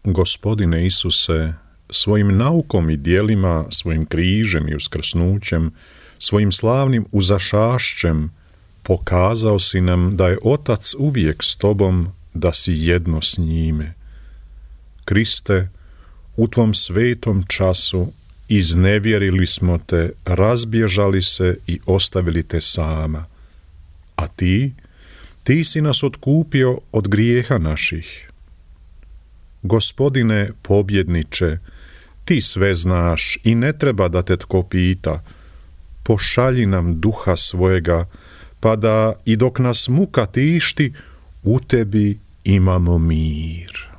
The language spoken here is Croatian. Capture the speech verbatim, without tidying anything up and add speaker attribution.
Speaker 1: Gospodine Isuse, svojim naukom i djelima, svojim križem i uskrsnućem, svojim slavnim uzašašćem, pokazao si nam da je Otac uvijek s tobom, da si jedno s njime. Kriste, u tvom svetom času iznevjerili smo te, razbježali se i ostavili te sama. A ti, ti si nas otkupio od grijeha naših. Gospodine pobjedniče, ti sve znaš i ne treba da te tko pita. Pošalji nam duha svojega, pa da i dok nas muka tišti, u tebi imamo mir.